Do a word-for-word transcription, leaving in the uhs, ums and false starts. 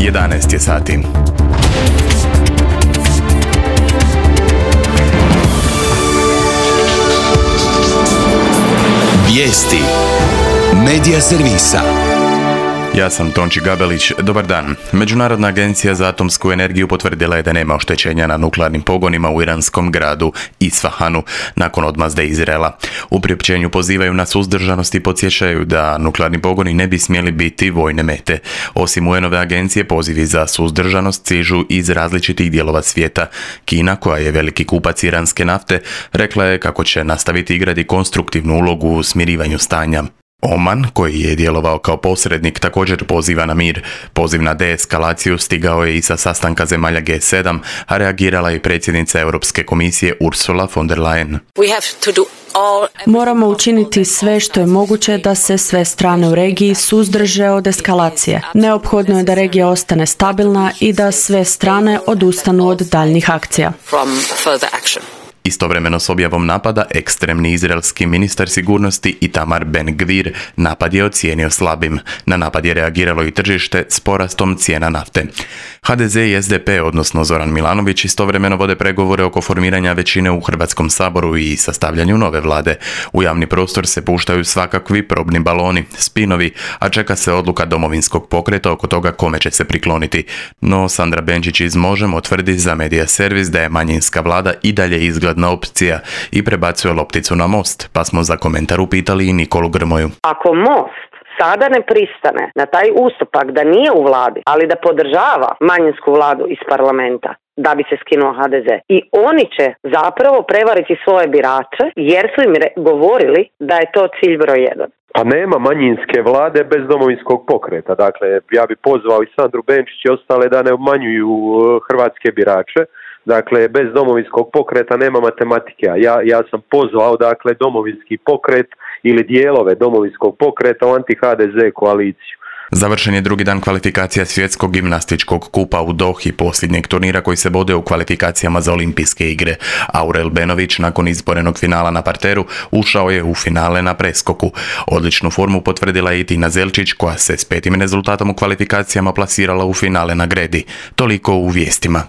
jedanaest je sati. Vijesti Medija servisa. Ja sam Tonči Gabelić, dobar dan. Međunarodna agencija za atomsku energiju potvrdila je da nema oštećenja na nuklearnim pogonima u iranskom gradu Isfahanu nakon odmazde Izraela. U priopćenju pozivaju na suzdržanost i podsjećaju da nuklearni pogoni ne bi smjeli biti vojne mete. Osim U N-ove agencije, pozivi za suzdržanost stižu iz različitih dijelova svijeta. Kina, koja je veliki kupac iranske nafte, rekla je kako će nastaviti igrati konstruktivnu ulogu u smirivanju stanja. Oman, koji je djelovao kao posrednik, također poziva na mir. Poziv na deeskalaciju stigao je i sa sastanka zemalja G sedam, a reagirala je predsjednica Europske komisije Ursula von der Leyen. Moramo učiniti sve što je moguće da se sve strane u regiji suzdrže od eskalacije. Neophodno je da regija ostane stabilna i da sve strane odustanu od daljnjih akcija. Istovremeno s objavom napada, ekstremni izraelski ministar sigurnosti Itamar Ben-Gvir napad je ocijenio slabim. Na napad je reagiralo i tržište s porastom cijena nafte. H D Z i S D P, odnosno Zoran Milanović, istovremeno vode pregovore oko formiranja većine u Hrvatskom saboru i sastavljanju nove vlade. U javni prostor se puštaju svakakvi probni baloni, spinovi, a čeka se odluka Domovinskog pokreta oko toga kome će se prikloniti. No Sandra Benčić iz Možemo tvrdi za Medija servis da je manjinska vlada i dalje izgledna opcija i prebacuje lopticu na Most, pa smo za komentar upitali i Nikolu Grmoju. Ako Most sada ne pristane na taj ustupak da nije u vladi, ali da podržava manjinsku vladu iz parlamenta, da bi se skinuo H D Z. I oni će zapravo prevariti svoje birače jer su im re- govorili da je to cilj broj jedan. Pa nema manjinske vlade bez Domovinskog pokreta. Dakle, ja bi pozvao i Sandru Benčić i ostale da ne obmanjuju hrvatske birače. Dakle, bez Domovinskog pokreta nema matematike. Ja, ja sam pozvao, dakle, Domovinski pokret ili dijelove Domovinskog pokreta u anti-H D Z koaliciju. Završen je drugi dan kvalifikacija svjetskog gimnastičkog kupa u Dohi, posljednjeg turnira koji se vode u kvalifikacijama za olimpijske igre. Aurel Benović, nakon izborenog finala na parteru, ušao je u finale na preskoku. Odličnu formu potvrdila je i Tina Zelčić, koja se s petim rezultatom u kvalifikacijama plasirala u finale na gredi. Toliko u vijestima.